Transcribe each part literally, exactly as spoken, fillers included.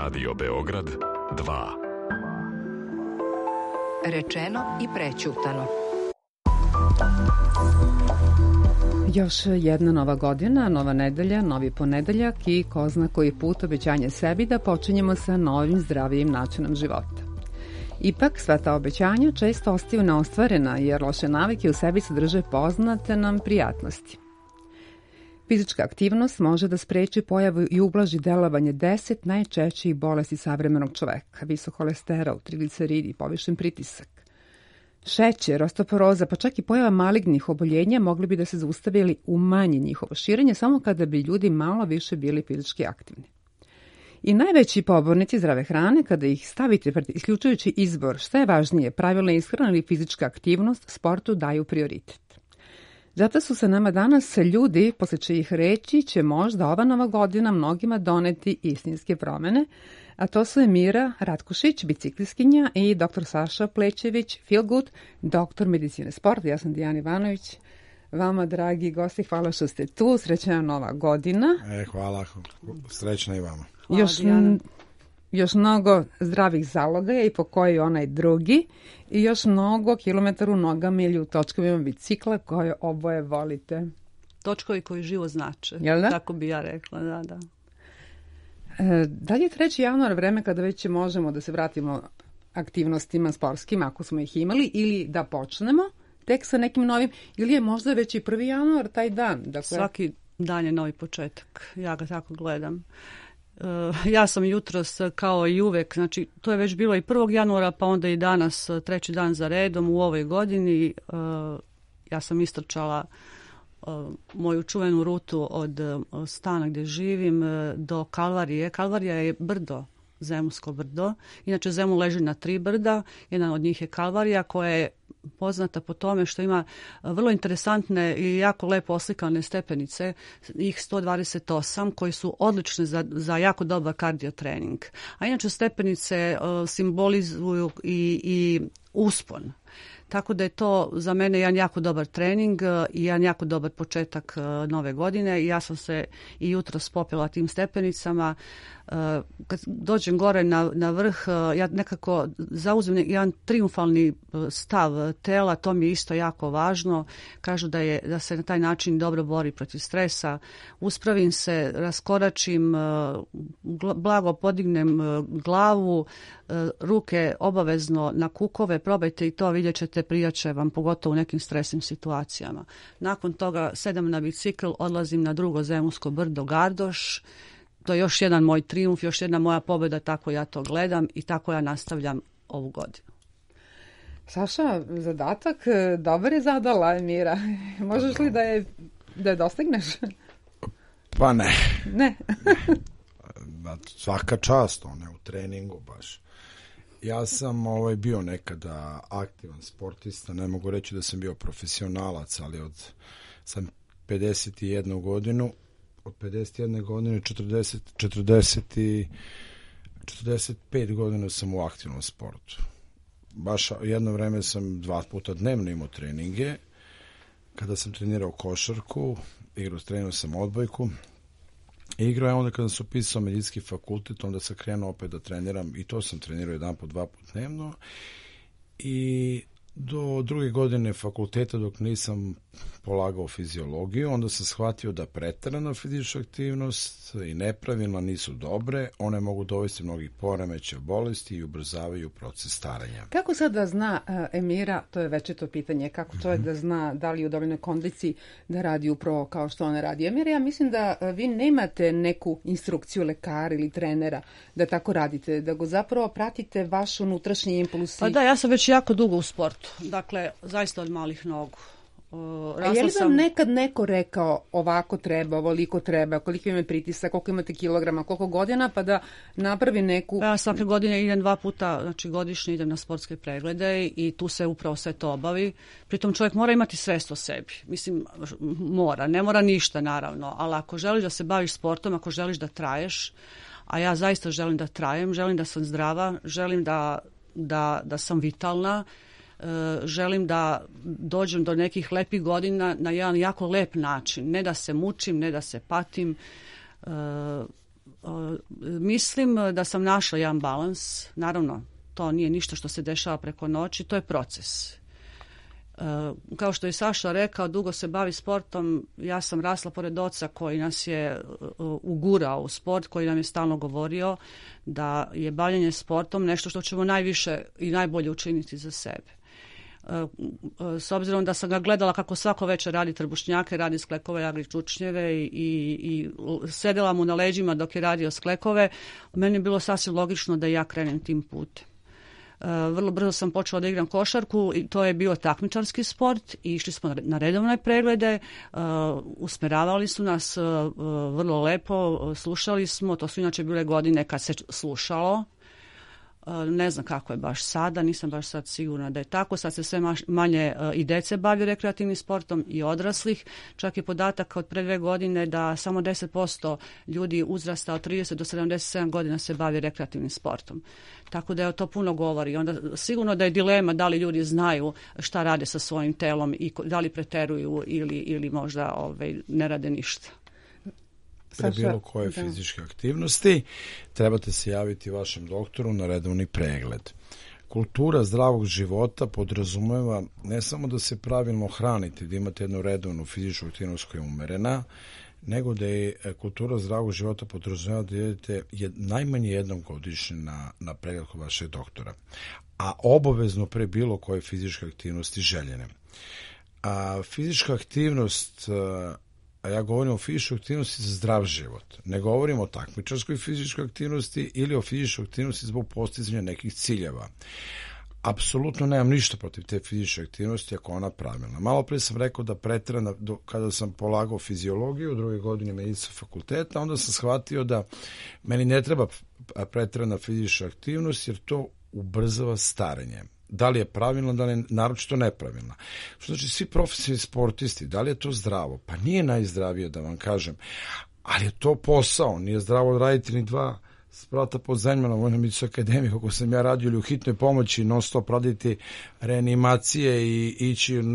Radio Beograd dva. Rečeno i prećutano. Još jedna nova godina, nova nedelja, novi ponedeljak i ko zna koji put obećanje sebi da počinjemo sa novim zdravijim načinom života. Ipak, sva ta obećanja često ostaju neostvarena jer loše navike u sebi sadrže poznate nam prijatnosti. Fizička aktivnost može da spreči pojavu i ublaži delovanje deset najčešćih bolesti savremenog čoveka: visok holesterol, trigliceridi, povišen pritisak. Šećer, osteoporoza, pa čak i pojava malignih oboljenja mogli bi da se zaustave ili umanji njihovo širenje samo kada bi ljudi malo više bili fizički aktivni. I najveći pobornici zdrave hrane, kada ih stavite pred isključujući izbor šta je važnije, pravilna ishrana ili fizička aktivnost, sportu daju prioritet. Zato su sa nama danas ljudi, posle čijih reči će možda ova nova godina mnogima doneti istinske promene, a to su Emira Ratkušić, biciklistkinja, i doktor Saša Plećević, Feel Good, doktor medicine sporta. Ja sam Dijana Ivanović. Vama, dragi gosti, hvala što ste tu. Srećna nova godina. E, hvala. Srećna i vama. Hvala, još, m, još mnogo zdravih zalogaja i po koji onaj drugi. I još mnogo kilometara u nogama ili u točkovima bicikla koje oboje volite. Točkovi koji živo znače. Jel da? Tako bi ja rekla, da, da. E, da li je treći januar vreme kada već možemo da se vratimo aktivnostima sportskim, ako smo ih imali, ili da počnemo tek sa nekim novim, ili je možda već i prvi januar taj dan? Dakle... Svaki dan je novi početak. Ja ga tako gledam. Uh, ja sam jutros kao i uvek, znači to je već bilo i prvog januara, pa onda i danas treći dan za redom u ovoj godini. Uh, ja sam istrčala uh, moju čuvenu rutu od uh, stana gdje živim uh, do Kalvarije. Kalvarija je brdo, Zemunsko brdo. Inače Zemun leži na tri brda. Jedan od njih je Kalvarija, koja je poznata po tome što ima vrlo interesantne i jako lepo oslikane stepenice, ih sto dvadeset osam, koji su odlične za, za jako dobar kardio trening. A inače stepenice uh, simbolizuju i, i uspon. Tako da je to za mene jedan jako dobar trening i jedan jako dobar početak uh, nove godine. I ja sam se i jutros popela tim stepenicama. Uh, kad dođem gore na, na vrh, uh, ja nekako zauzmem jedan triumfalni stav tela, to mi je isto jako važno. Kažu da, je, da se na taj način dobro bori protiv stresa. Uspravim se, raskoračim, uh, blago podignem uh, glavu, uh, ruke obavezno na kukove, probajte i to, vidjet ćete, prijače vam, pogotovo u nekim stresnim situacijama. Nakon toga sedam na bicikl, odlazim na drugo Zemunsko brdo, Gardoš. To je još jedan moj trijumf, još jedna moja pobjeda, tako ja to gledam i tako ja nastavljam ovu godinu. Saša, zadatak dobar je zadala, Emira. Možeš li da je, da je dostigneš? Pa ne. Ne. Svaka čast, one u treningu baš. Ja sam ovaj, bio nekada aktivan sportista, ne mogu reći da sam bio profesionalac, ali od sam pedeset jednu godinu, od pedeset jedne godine četrdeset, četrdeset i četrdeset pet godina sam u aktivnom sportu. Baš jedno vreme sam dva puta dnevno imao treninge. Kada sam trenirao košarku, igrao, trenirao sam odbojku. Igrao je onda kada sam upisao medicinski fakultet, onda sam krenuo opet da treniram i to sam trenirao jedan put, dva put dnevno. I do druge godine fakulteta, dok nisam polagao fiziologiju, onda sam shvatio da preterana fizička aktivnost i nepravilna nisu dobre, one mogu dovesti mnogih poremećaja, bolesti i ubrzavaju proces starenja. Kako sad da zna uh, Emira, to je večito pitanje, kako čovjek mm-hmm. da zna da li je u dovoljnoj kondiciji da radi upravo kao što ona radi? Emira, ja mislim da uh, vi nemate neku instrukciju lekara ili trenera da tako radite, da go zapravo pratite vaš unutrašnji impuls. Pa da, ja sam već jako dugo u sportu, dakle, zaista od malih nogu. Uh, A je li vam sam... nekad neko rekao ovako treba, ovoliko treba, koliko ima pritisak, koliko imate kilograma, koliko godina, pa da napravi neku... Ja svake godine idem dva puta, znači godišnje idem na sportske preglede i tu se upravo sve to obavi. Pritom čovjek mora imati svest o sebi. Mislim, mora, ne mora ništa naravno, ali ako želiš da se baviš sportom, ako želiš da traješ, a ja zaista želim da trajem, želim da sam zdrava, želim da, da, da sam vitalna, želim da dođem do nekih lepih godina na jedan jako lep način. Ne da se mučim, ne da se patim. mislim da sam našla jedan balans. Naravno, to nije ništa što se dešava preko noći, to je proces. Kao što je Saša rekao, dugo se bavi sportom. Ja sam rasla pored oca koji nas je ugurao u sport, koji nam je stalno govorio da je bavljenje sportom nešto što ćemo najviše i najbolje učiniti za sebe. S obzirom da sam ga gledala kako svako večer radi trbušnjake, radi sklekove, jagri čučnjeve i, i sedela mu na leđima dok je radio sklekove, meni je bilo sasvim logično da ja krenem tim putem. Vrlo brzo sam počela da igram košarku i to je bio takmičarski sport i išli smo na redovne preglede, usmeravali su nas vrlo lepo, slušali smo, to su inače bile godine kad se slušalo. Ne znam kako je baš sada, nisam baš sad sigurna da je tako. Sad se sve manje i dece bavi rekreativnim sportom i odraslih. Čak je podatak od pre dve godine da samo deset posto ljudi uzrasta od trideset do sedamdeset sedam godina se bavi rekreativnim sportom. Tako da je to puno govori. Onda sigurno da je dilema da li ljudi znaju šta rade sa svojim telom i da li preteruju ili, ili možda ovaj, ne rade ništa. Pre bilo koje da. fizičke aktivnosti trebate se javiti vašem doktoru na redovni pregled. Kultura zdravog života podrazumeva ne samo da se pravilno hranite, da imate jednu redovnu fizičku aktivnost koja je umerena, nego da je kultura zdravog života podrazumeva da idete jed, najmanje jednom godišnje na, na pregled kod vašeg doktora, a obavezno pre bilo koje fizičke aktivnosti željene. A fizička aktivnost, a ja govorim o fizičkoj aktivnosti za zdrav život. Ne govorim o takmičarskoj fizičkoj aktivnosti ili o fizičkoj aktivnosti zbog postizanja nekih ciljeva. Apsolutno nemam ništa protiv te fizičke aktivnosti ako ona pravilna. Malo pre sam rekao da preterana, kada sam polagao fiziologiju u drugoj godini medicinskog fakulteta, onda sam shvatio da meni ne treba preterana fizička aktivnost jer to ubrzava starenje. Da li je pravilno, da li je naročito nepravilno. Što znači svi profesionalni sportisti, da li je to zdravo? Pa nije najzdravije da vam kažem, ali je to posao, nije zdravo raditi ni dva sprata pod zemljama na Vojnoj medicinskoj akademiji, kako sam ja radio, ili u hitnoj pomoći non stop raditi reanimacije i ići uh,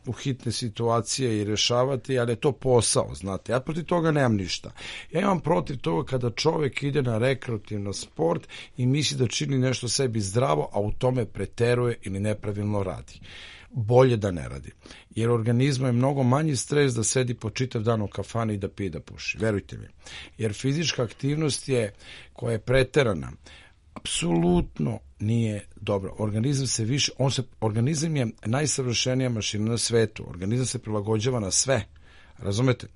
u hitne situacije i rešavati, ali je to posao, znate. Ja protiv toga nemam ništa. Ja imam protiv toga kada čovjek ide na rekreativni sport i misli da čini nešto sebi zdravo, a u tome preteruje ili nepravilno radi. Bolje da ne radi. Jer organizmu je mnogo manji stres da sedi po čitav dan u kafani i da pije da puši. Verujte mi. Jer fizička aktivnost je, koja je preterana, apsolutno nije dobro. Organizam se više, on se, organizam je najsavršenija mašina na svetu. Organizam se prilagođava na sve. Razumete?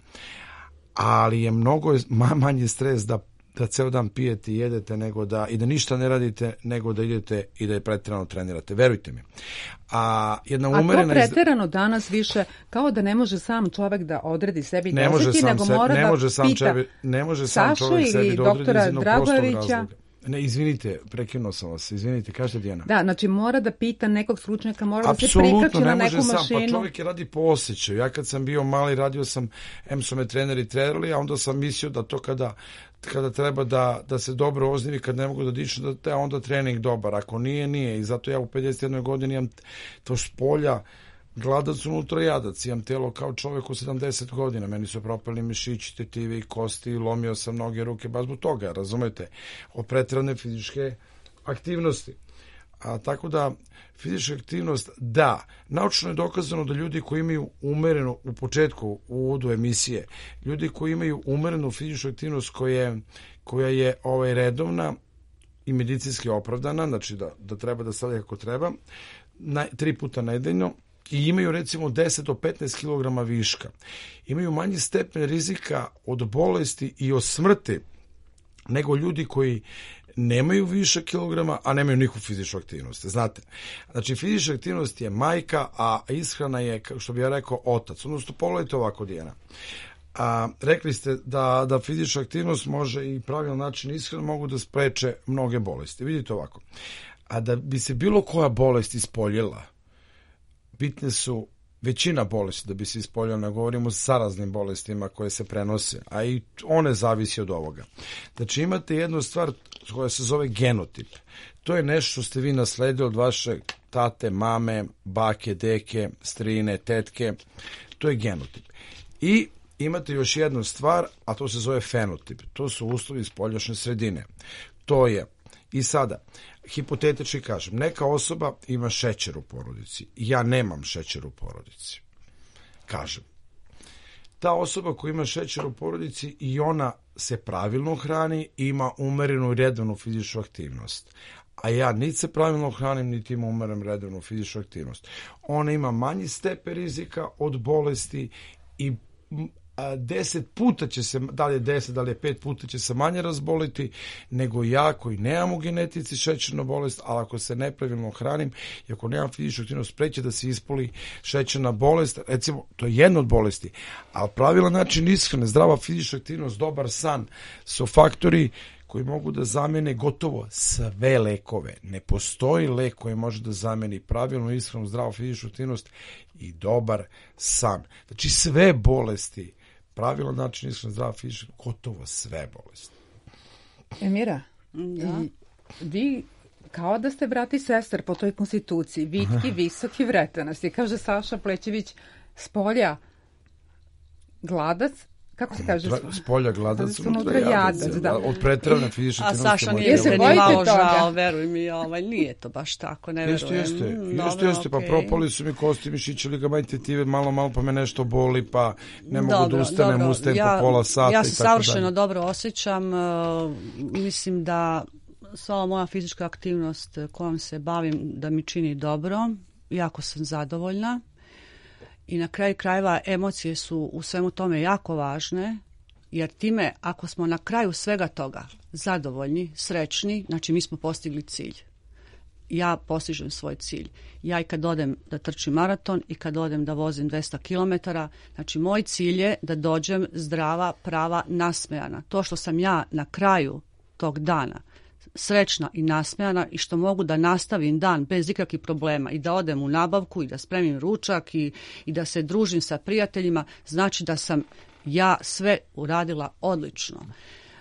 Ali je mnogo manji stres da da ceo dan pijete i jedete nego da, i da ništa ne radite nego da idete i da je preterano trenirate. Verujte mi. A, jedna umerena A to preterano danas više kao da ne može sam čovek da odredi sebi ne može sam nego se, mora ne da može sam pita čebi, ne može sam Sašu čovek sebi da odredi iz jednog prostog razloga. Ne, izvinite, prekinuo sam vas, izvinite, kažete Dijana. Da, znači mora da pita nekog stručnjaka, mora Absolutno, da se prikače na neku mašinu. Apsolutno, ne može sam, pa čovjek je radi po osjećaju. Ja kad sam bio mali, radio sam, em su me treneri trenirali, a onda sam mislio da to kada kada treba da, da se dobro oznivi, kad ne mogu da dišu, da te onda trening dobar. Ako nije, nije. I zato ja u pedeset jednoj godini imam to spolja, gladac unutra jadac. Imam telo kao čovjek u sedamdeset godina. Meni su propali mišići, tetivi i kosti, lomio sam noge, ruke, baš zbog toga, razumete? Od preterane fizičke aktivnosti. A tako da, fizička aktivnost, da, naučno je dokazano da ljudi koji imaju umerenu, u početku, u uvodu emisije, ljudi koji imaju umerenu fizičku aktivnost koja, koja je ovaj, redovna i medicinski opravdana, znači da, da treba da stavlja kako treba, na, tri puta nedeljno, i imaju recimo deset do petnaest kilograma viška, imaju manji stepen rizika od bolesti i od smrti nego ljudi koji nemaju više kilograma, a nemaju nikakvu fizičku aktivnost. Znate, znači fizička aktivnost je majka, a ishrana je, što bi ja rekao, otac. Odnosno, pogledajte ovako, Dijana. A, rekli ste da, da fizička aktivnost može i pravilan način ishrane mogu da spreče mnoge bolesti. Vidite ovako. A da bi se bilo koja bolest ispoljila, bitne su većina bolesti da bi se ispoljila, ne govorimo o saraznim bolestima koje se prenose, a i one zavisi od ovoga. Znači imate jednu stvar koja se zove genotip. To je nešto što ste vi nasledili od vaše tate, mame, bake, deke, strine, tetke. To je genotip. I imate još jednu stvar, a to se zove fenotip. To su uslovi spoljašnje sredine. To je, i sada, hipotetički kažem, neka osoba ima šećer u porodici. Ja nemam šećer u porodici. Kažem. Ta osoba koja ima šećer u porodici i ona se pravilno hrani, ima umerenu i redovnu fizičku aktivnost. A ja niti se pravilno hranim, niti imam umerenu redovnu fizičku aktivnost. Ona ima manji stepen rizika od bolesti i a, deset puta će se, da li je deset, da li je pet puta će se manje razboliti nego ja koji nemam u genetici šećernu bolest, ali ako se nepravilno hranim i ako nemam fizičku aktivnost, preće da se ispoli šećerna bolest, recimo, to je jedna od bolesti, ali pravilan način ishrane, zdrava fizička aktivnost, dobar san su faktori koji mogu da zamene gotovo sve lekove. Ne postoji lek koji može da zameni pravilnu ishranu, zdravu fizičku aktivnost i dobar san. Znači sve bolesti, pravilan način ishrane, zdrava fizička, gotovo sve bolesti. Emira, Da. i vi kao da ste brat i sestar po toj konstituciji, vitki, visoki, vretenasti. Kaže Saša Plećević, spolja gladac, kako se kaže? S polja gladac, unutra unutra jadac, jadac, da. da. Od pretravne fizičke A aktivnosti. Saša može nije da se se bude. ni bojite malo toga? žao, veruj mi, ovaj, nije to baš tako, ne Jeste, verujem. jeste, Mm, jeste, dobro, jeste, pa okej. propali su mi kosti, mišići, ligamenti, tetive, malo, malo pa me nešto boli, pa ne mogu Dobro, da ustanem, dobro. ustajem ja, po pola sata Ja i se tako savršeno dalje. dobro osjećam, uh, mislim da sva ova moja fizička aktivnost kojom se bavim da mi čini dobro, jako sam zadovoljna i na kraju krajeva emocije su u svemu tome jako važne, jer time ako smo na kraju svega toga zadovoljni, srećni, znači mi smo postigli cilj. Ja postižem svoj cilj. Ja i kad odem da trčim maraton i kad odem da vozim dvesta kilometara, znači moj cilj je da dođem zdrava, prava, nasmejana. To što sam ja na kraju tog dana srećna i nasmejana i što mogu da nastavim dan bez ikakvih problema i da odem u nabavku i da spremim ručak i, i da se družim sa prijateljima, znači da sam ja sve uradila odlično.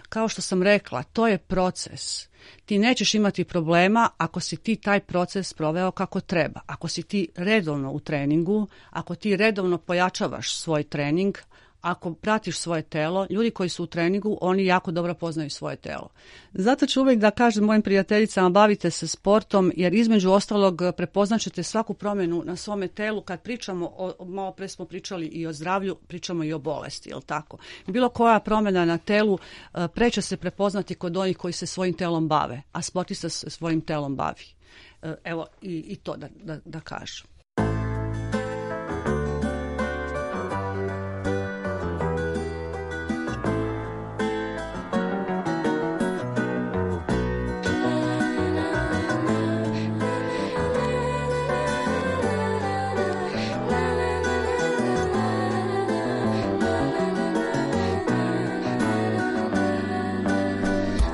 Kao što sam rekla, to je proces. Ti nećeš imati problema ako si ti taj proces proveo kako treba. Ako si ti redovno u treningu, ako ti redovno pojačavaš svoj trening, ako pratiš svoje telo, ljudi koji su u treningu, oni jako dobro poznaju svoje telo. Zato ću uvijek da kažem mojim prijateljicama, bavite se sportom, jer između ostalog prepoznaćete svaku promjenu na svome telu. Kad pričamo, o, malo pre smo pričali i o zdravlju, pričamo i o bolesti, jel tako? Bilo koja promjena na telu preće se prepoznati kod onih koji se svojim telom bave, a sportista se svojim telom bavi. Evo i, i to da, da, da kažem.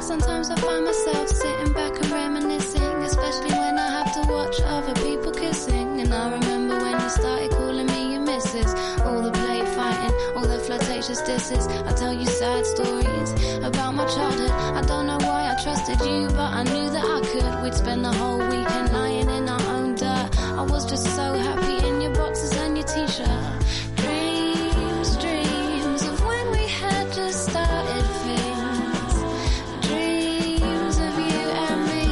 Sometimes I find myself sitting back and reminiscing, especially when I have to watch other people kissing. And I remember when you started calling me your missus, all the play fighting, all the flirtatious disses. I tell you sad stories about my childhood. I don't know why I trusted you, but I knew that I could. We'd spend the whole weekend lying in our own dirt. I was just so happy in your boxes and your t-shirt. Dreams, dreams of when we had just started things. Dreams of you and me.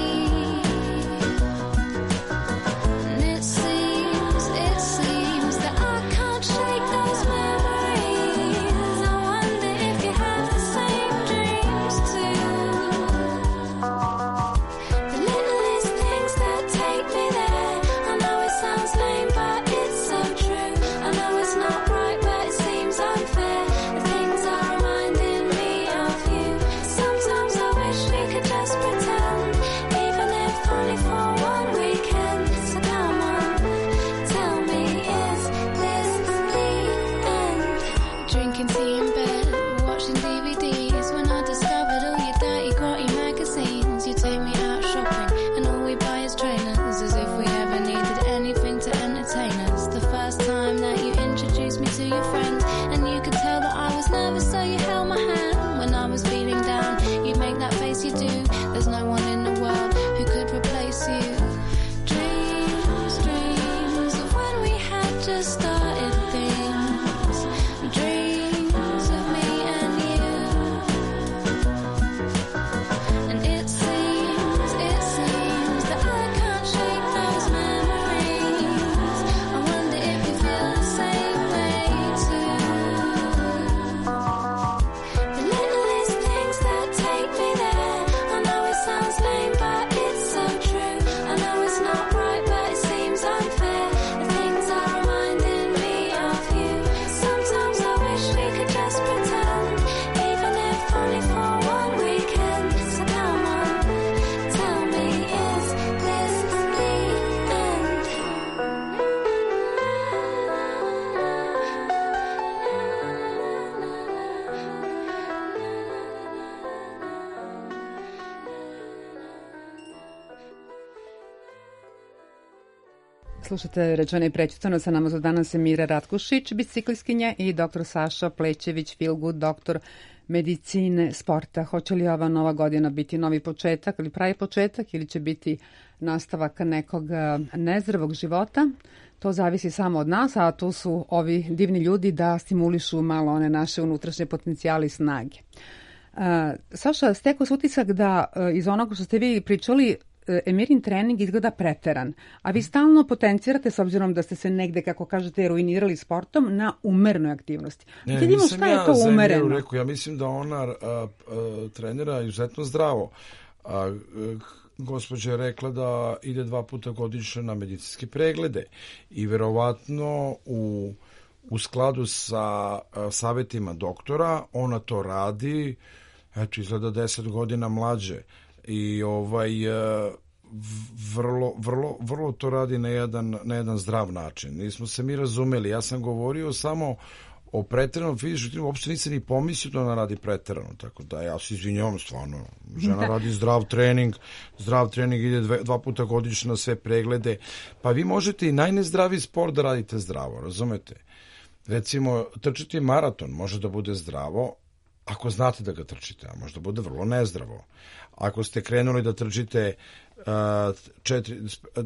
And it seems, it seems that I can't shake those memories. I wonder if you have the same dreams too. The littlest things that take Slušate Rečeno i prećutano, sa nama su danas Mira Ratkušić, biciklistkinja, i doktor Saša Plećević, Feelgood, doktor medicine sporta. Hoće li ova nova godina biti novi početak ili pravi početak ili će biti nastavak nekog nezdravog života? To zavisi samo od nas, a tu su ovi divni ljudi da stimulišu malo one naše unutrašnje potencijale i snage. Uh, Saša, stekao se utisak da uh, iz onoga što ste vi pričali, Emirin trening izgleda preteran, a vi stalno potencirate, s obzirom da ste se negde, kako kažete, ruinirali sportom, na umerenoj aktivnosti. Ne, Vidimo nisam šta je ja to za umereno. Emiru rekao, ja mislim da ona a, a, trenira izuzetno zdravo. A, a, gospođa je rekla da ide dva puta godišnje na medicinske preglede i verovatno u, u skladu sa a, savjetima doktora ona to radi, eto, izgleda deset godina mlađe. I ovaj vrlo, vrlo, vrlo to radi na jedan, na jedan zdrav način. Nismo se mi razumeli. Ja sam govorio samo o preteranom fizičkom treningu, uopšte nisam ni pomislio da ona radi preterano, tako da ja se izvinjavam stvarno. Žena radi zdrav trening, zdrav trening ide dve, dva puta godišnje na sve preglede. Pa vi možete i najnezdraviji sport da radite zdravo, razumete? Recimo, trčiti maraton može da bude zdravo ako znate da ga trčite, a možda bude vrlo nezdravo. Ako ste krenuli da trčite uh, četiri,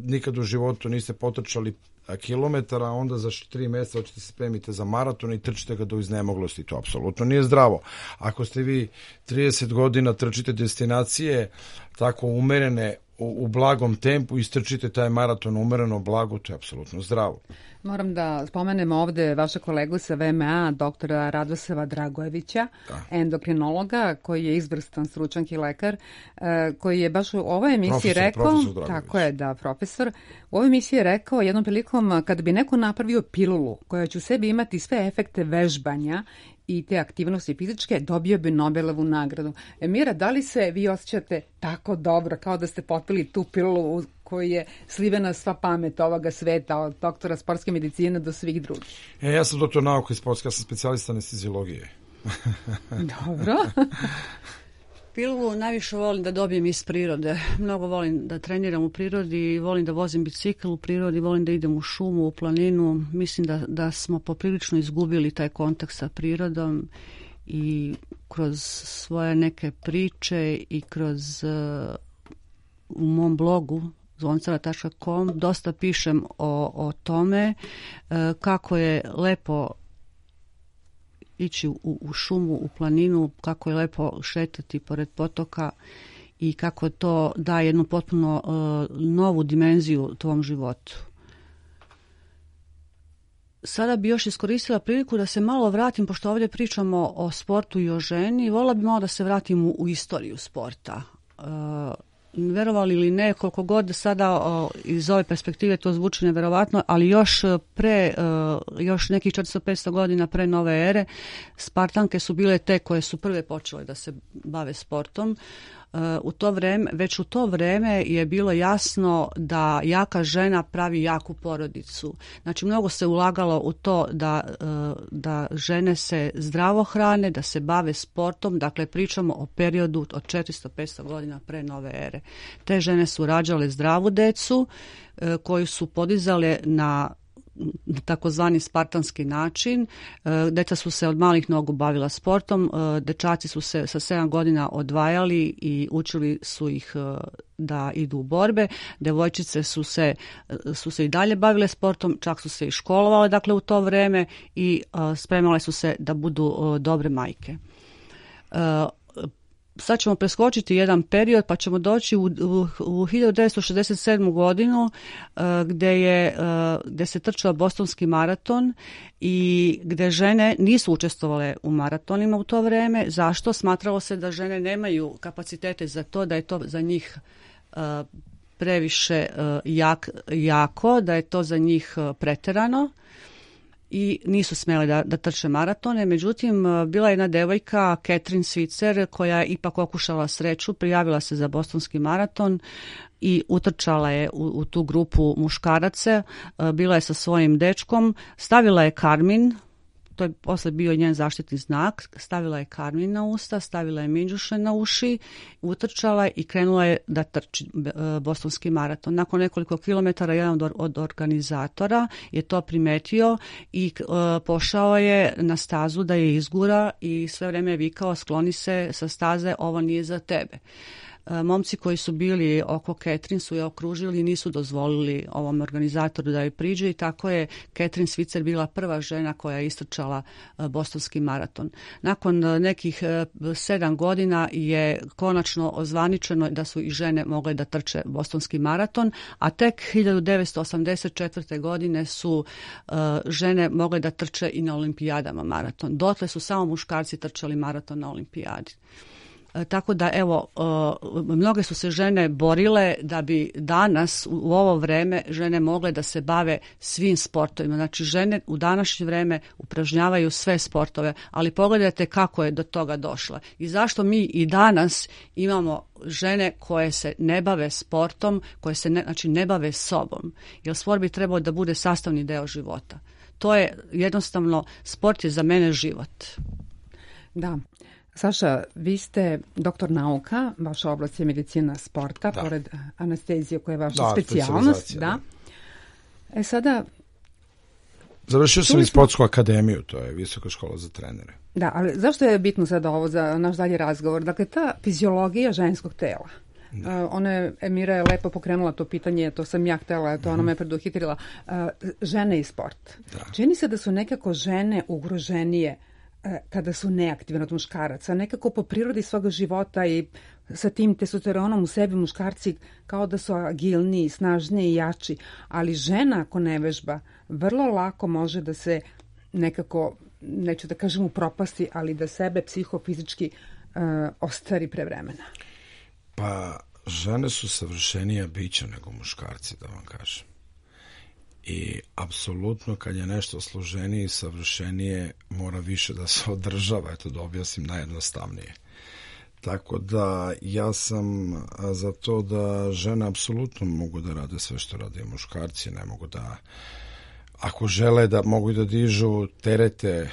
nikad u životu niste potrčali kilometara, onda za tri mjeseca hoćete se spremite za maraton i trčite ga do iznemoglosti. To apsolutno nije zdravo. Ako ste vi trideset godina trčite destinacije tako umerene u, u blagom tempu i istrčite taj maraton umereno blago, to je apsolutno zdravo. Moram da spomenem ovde vaša kolegu sa V M A, doktora Radosava Dragojevića, da. endokrinologa, koji je izvrstan stručnjak i lekar, koji je baš u ovoj emisiji profesor, rekao, profesor tako je, da, profesor, u ovoj emisiji je rekao jednom prilikom, kada bi neko napravio pilulu koja će u sebi imati sve efekte vežbanja i te aktivnosti fizičke, dobio bi Nobelovu nagradu. Emira, da li se vi osjećate tako dobro, kao da ste popili tu pilulu u koji je slivena sva pamet ovoga sveta, od doktora sportske medicine do svih drugih? E, ja sam doktor nauke i sportske, ja sam specijalista anesteziologije. Dobro. Pilulu najviše volim da dobijem iz prirode. Mnogo volim da treniram u prirodi, volim da vozim bicikl u prirodi, volim da idem u šumu, u planinu. Mislim da, da smo poprilično izgubili taj kontakt sa prirodom i kroz svoje neke priče i kroz uh, u mom blogu zvoncala tačka com dosta pišem o, o tome uh, kako je lepo ići u, u šumu, u planinu, kako je lepo šetati pored potoka i kako to daje jednu potpuno uh, novu dimenziju tvom životu. Sada bi još iskoristila priliku da se malo vratim, pošto ovdje pričamo o sportu i o ženi, voljela bi malo da se vratim u, u istoriju sporta. Uh, verovali ili ne, koliko god sada o, iz ove perspektive to zvuči neverovatno, ali još pre, o, još nekih četiristo do petsto godina pre nove ere, Spartanke su bile te koje su prve počele da se bave sportom. U to vreme, već u to vreme je bilo jasno da jaka žena pravi jaku porodicu. Znači, mnogo se ulagalo u to da, da žene se zdravo hrane, da se bave sportom. Dakle, pričamo o periodu od četiristo do petsto godina pre nove ere. Te žene su rađale zdravu decu koju su podizale na takozvani spartanski način. Deca su se od malih nogu bavila sportom, dečaci su se sa sedam godina odvajali i učili su ih da idu u borbe. Devojčice su se, su se i dalje bavile sportom, čak su se i školovale dakle u to vreme i spremale su se da budu dobre majke. Sad ćemo preskočiti jedan period pa ćemo doći u, u, u hiljadu devetsto šezdeset sedmu godinu uh, gde, je, uh, gde se trčao bostonski maraton i gde žene nisu učestvovale u maratonima u to vreme. Zašto? Smatralo se da žene nemaju kapacitete za to, da je to za njih uh, previše uh, jak, jako, da je to za njih uh, preterano. I nisu smjeli da, da trče maratone. Međutim, bila je jedna devojka, Catherine Switzer, koja je ipak okušala sreću, prijavila se za bostonski maraton i utrčala je u, u tu grupu muškaraca. Bila je sa svojim dečkom, stavila je karmin, to je posle bio njen zaštitni znak, stavila je karmin na usta, stavila je minđuše na uši, utrčala i krenula je da trči bostonski maraton. Nakon nekoliko kilometara jedan od, od organizatora je to primetio i uh, pošao je na stazu da je izgura i sve vreme je vikao skloni se sa staze, ovo nije za tebe. Momci koji su bili oko Catherine su je okružili i nisu dozvolili ovom organizatoru da joj priđe i tako je Catherine Switzer bila prva žena koja je istrčala bostonski maraton. Nakon nekih sedam godina je konačno ozvaničeno da su i žene mogle da trče bostonski maraton, a tek hiljadu devetsto osamdeset četvrte godine su uh, žene mogle da trče i na olimpijadama maraton. Dotle su samo muškarci trčali maraton na olimpijadi. Tako da, evo, mnoge su se žene borile da bi danas u ovo vreme žene mogle da se bave svim sportovima. Znači, žene u današnje vreme upražnjavaju sve sportove, ali pogledajte kako je do toga došla. I zašto mi i danas imamo žene koje se ne bave sportom, koje se ne, znači, ne bave sobom. Jer sport bi trebao da bude sastavni deo života. To je jednostavno, sport je za mene život. Da. Saša, vi ste doktor nauka, vaša oblast je medicina sporta, da. Pored anestezije koja je vaša da, specijalnost. Da. Da. E sada... Završio sam i sportsku akademiju, to je visoka škola za trenere. Da, ali zašto je bitno sada ovo za naš dalji razgovor? Dakle, ta fiziologija ženskog tela. Uh, ona je, Emira je lepo pokrenula to pitanje, to sam ja htjela, to ona me preduhitrila. Uh, žene i sport. Da. Čini se da su nekako žene ugroženije kada su neaktivne od muškaraca, nekako po prirodi svoga života i sa tim testosteronom u sebi muškarci kao da su agilniji, snažniji i jači, ali žena ako ne vežba, vrlo lako može da se nekako, neću da kažem u propasti, ali da sebe psihofizički uh, ostari pre vremena. Pa žene su savršenija bića nego muškarci, da vam kažem. I apsolutno kad je nešto složenije i savršenije mora više da se održava, eto da objasnim najjednostavnije. Tako da ja sam za to da žene apsolutno mogu da rade sve što rade muškarci, ne mogu da, ako žele da mogu da dižu terete,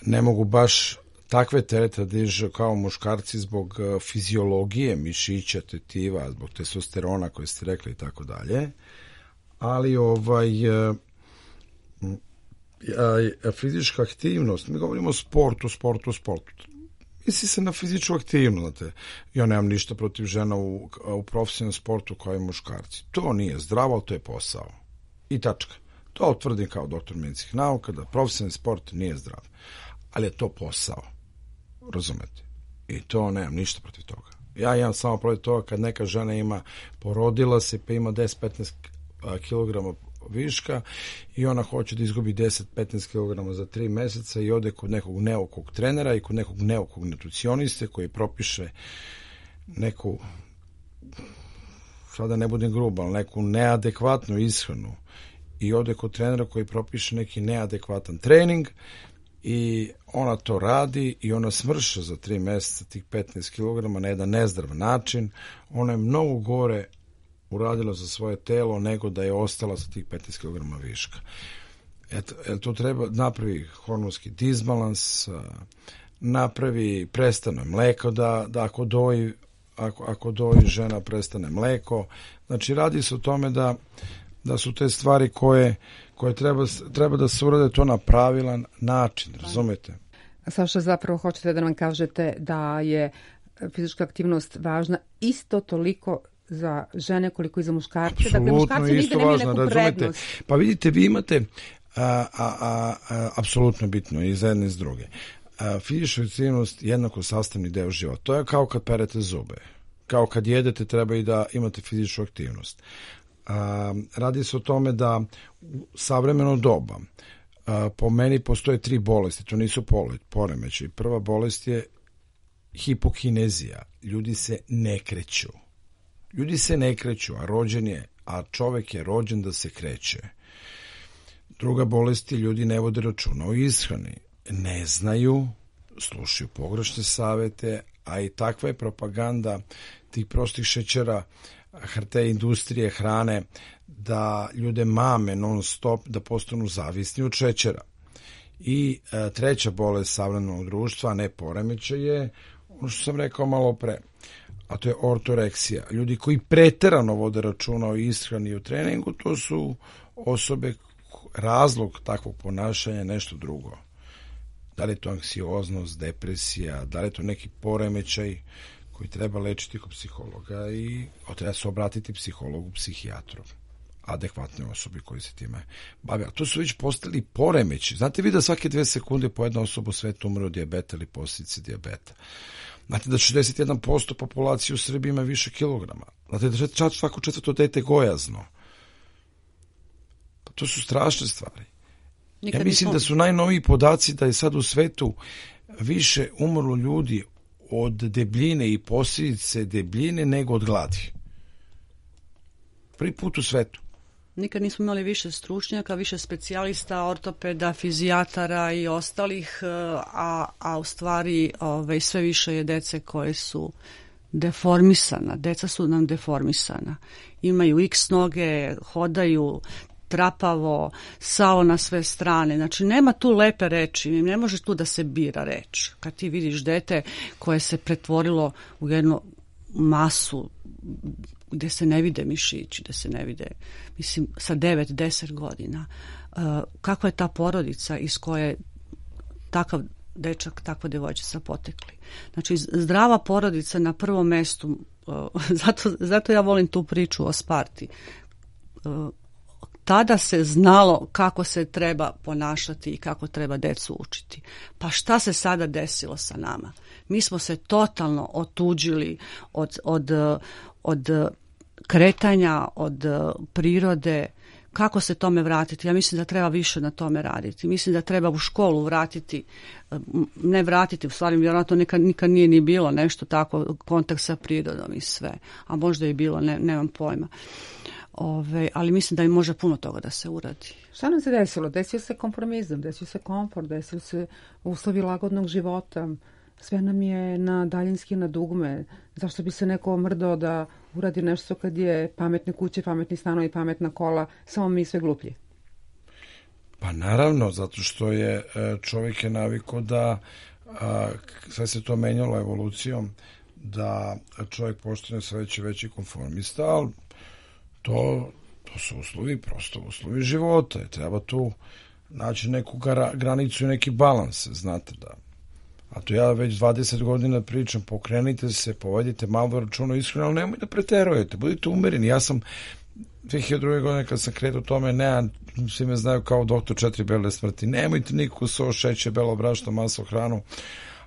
ne mogu baš takve terete da dižu kao muškarci zbog fiziologije, mišića, tetiva, zbog testosterona koje ste rekli i tako dalje. Ali ovaj a, a, fizička aktivnost, mi govorimo o sportu, sportu, sportu. Misli se na fizičku aktivnost, znate. Ja nemam ništa protiv žena u, u profesionalnom sportu kao i muškarci. To nije zdravo, ali to je posao. I tačka. To tvrdim kao doktor medicinskih nauka, da profesionalni sport nije zdrav. Ali je to posao. Razumete? I to nemam ništa protiv toga. Ja imam samo protiv toga kad neka žena ima, porodila se pa ima deset do petnaest kilograma viška i ona hoće da izgubi deset do petnaest kilograma za tri meseca i ode kod nekog neokog trenera i kod nekog neokog nutricioniste koji propiše neku, sada ne budem grub, ali neku neadekvatnu ishranu i ode kod trenera koji propiše neki neadekvatan trening i ona to radi i ona smrša za tri meseca tih petnaest kilograma na jedan nezdrav način. Ona je mnogo gore uradila za svoje telo nego da je ostala sa tih petnaest kilograma viška. Eto, to treba napravi hormonski disbalans, napravi, prestane mleko da, da ako doji, ako, ako doji žena prestane mleko. Znači radi se o tome da, da su te stvari koje, koje treba, treba da se urade to na pravilan način, razumete? Saša, zapravo hoćete da nam kažete da je fizička aktivnost važna isto toliko za žene koliko i za muškarce. Apsolutno, dakle, muškarci nigde nemaju neku prednost. Pa vidite, vi imate a, a, a, a, apsolutno bitno i za jedne i s druge. A, fizička aktivnost je jednako sastavni deo života. To je kao kad perete zube. Kao kad jedete treba i da imate fizičku aktivnost. A, radi se o tome da u savremeno doba a, po meni postoje tri bolesti. To nisu poremeći. Prva bolest je hipokinezija. Ljudi se ne kreću. Ljudi se ne kreću, a rođen je, a čovek je rođen da se kreće. Druga bolest je ljudi ne vode računa o ishrani. Ne znaju, slušaju pogrešne savete, a i takva je propaganda tih prostih šećera, te industrije hrane, da ljude mame non stop da postanu zavisni od šećera. I a, treća bolest savremenog društva, ne poremećaj, je ono što sam rekao malo pre, a to je ortoreksija. Ljudi koji preterano vode računa o ishrani i o treningu, to su osobe, razlog takvog ponašanja je nešto drugo. Da li je to anksioznost, depresija, da li je to neki poremećaj koji treba lečiti kod psihologa i treba se obratiti psihologu, psihijatru, adekvatne osobi koji se time bave. A to su već postali poremeći. Znate vi da svake dve sekunde po jedna osoba u svetu umre od dijabeta ili posljedice dijabeta. Znate da šezdeset jedan posto populacije u Srbiji ima više kilograma. Znate da čak svako četvrto dete gojazno. Pa to su strašne stvari. Nikad ja mislim da su najnoviji podaci da je sad u svetu više umrlo ljudi od debljine i posljedice debljine nego od gladi. Prvi put u svetu. Nikad nismo imali više stručnjaka, više specijalista, ortopeda, fizijatara i ostalih, a, a u stvari ove, sve više je dece koje su deformisana. Deca su nam deformisana. Imaju x noge, hodaju trapavo, sao na sve strane. Znači, nema tu lepe reči, ne može tu da se bira reč. Kad ti vidiš dete koje se pretvorilo u jednu masu gde se ne vide mišići, gde se ne vide, mislim, sa devet, deset godina. Uh, kakva je ta porodica iz koje takav dečak, takva devojčica potekli? Znači, zdrava porodica na prvom mestu, uh, zato, zato ja volim tu priču o Sparti. Uh, tada se znalo kako se treba ponašati i kako treba decu učiti. Pa šta se sada desilo sa nama? Mi smo se totalno otuđili od, od, od kretanja, od prirode. Kako se tome vratiti? Ja mislim da treba više na tome raditi. Mislim da treba u školu vratiti, ne vratiti, u stvari vjerojatno nikad, nikad nije ni bilo nešto tako, kontakt sa prirodom i sve. A možda je bilo, ne, nemam pojma. Ove, ali mislim da i može puno toga da se uradi. Šta nam se desilo? Desio se kompromizam, desio se komfort, desio se uslovi lagodnog života. Sve nam je na daljinski, na dugme. Zašto bi se neko mrdao da uradi nešto kad je pametne kuće, pametni stanovi, pametna kola, samo mi sve gluplji? Pa naravno, zato što je čovjek je navikao da a, sve se to menjalo evolucijom, da čovjek postane sve veći veći konformista, ali to, to su uslovi, prosto uslovi života. Treba tu naći neku gra, granicu i neki balans, znate da. A to ja već dvadeset godina pričam, pokrenite se, povedite malo računa iskreno, ali nemoj da preterujete, budite umereni. Ja sam dve hiljade druge godine kad sam kretao tome, ne, svi me znaju kao doktor četiri bele smrti, nemojte niko so, šeće, belo brašno, maslo, hranu,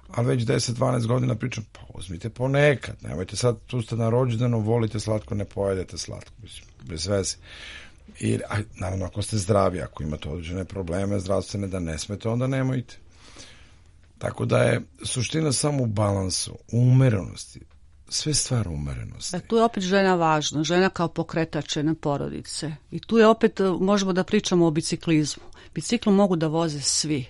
a već deset dvanaest godina pričam, pa uzmite ponekad, nemojte sad, tu ste na rođendanu, volite slatko, ne pojedete slatko, mislim, bez veze. I, a, naravno, ako ste zdravi, ako imate određene probleme zdravstvene da ne smete, onda nemojte. Tako da je suština samo u balansu, u umerenosti. Sve stvar umerenosti. E, tu je opet žena važna, žena kao pokretač jedne porodice. I tu je opet, možemo da pričamo o biciklizmu. Biciklu mogu da voze svi.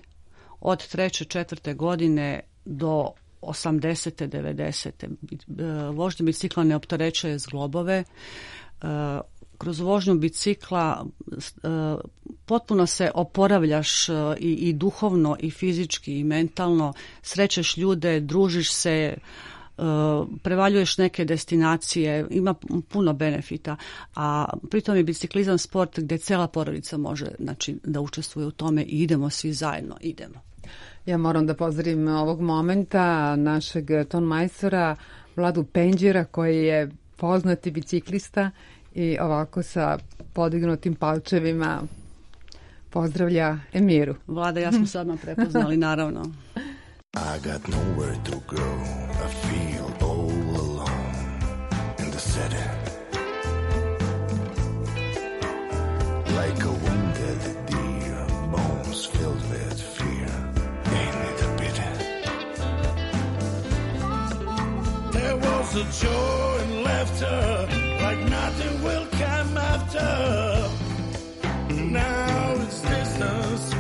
Od treće, četvrte godine do osamdesete, devedesete. Vožnja bicikla ne opterećuje zglobove. Kroz vožnju bicikla potpuno se oporavljaš i, i duhovno, i fizički, i mentalno. Srećeš ljude, družiš se, prevaljuješ neke destinacije, ima puno benefita, a pritom je biciklizam sport gdje cela porodica može, znači, da učestvuje u tome i idemo svi zajedno, idemo. Ja moram da pozdravim ovog momenta našeg tonmajstora Vladu Penđera, koji je poznati biciklista i ovako sa podignutim palčevima pozdravlja Emiru. Vlada, ja smo sad nam prepoznali, naravno. I got nowhere to go, I feel all alone in the city. Like a wounded deer, bones filled with fear, ain't it a pity? There was a joy and laughter, like nothing will come after. Now it's distance,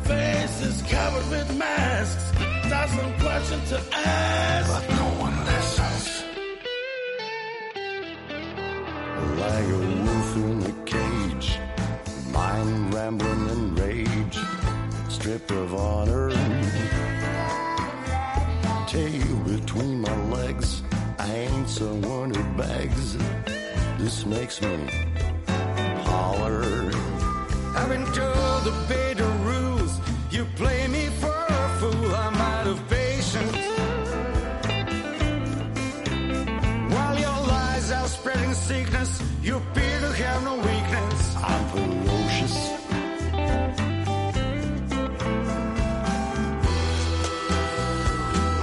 faces covered with masks. Thousand questions to ask, but no one listens. Like a wolf in a cage, mind rambling in rage. trip of honor. Tail between my legs, I ain't someone who begs. This makes me holler. I've been told the beta rules. You play me for a fool. I'm out of patience. While your lies are spreading sickness, you appear to have no weakness. I'm ferocious.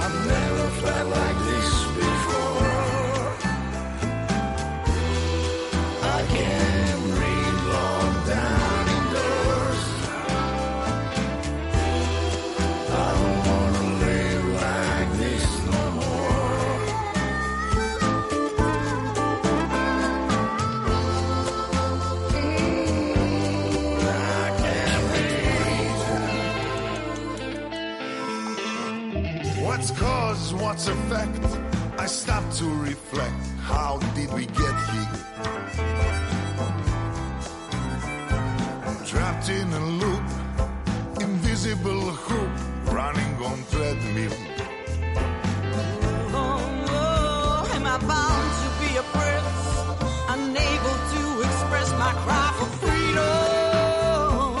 I've never felt like this before. I can't breathe long down indoors. I don't wanna live like this no more. I can't breathe. What's cause, what's effect? I stop to reflect. How did we get here? Trapped in a loop, invisible hoop, running on treadmill. Oh, am I bound to be a prince, unable to express my cry for freedom?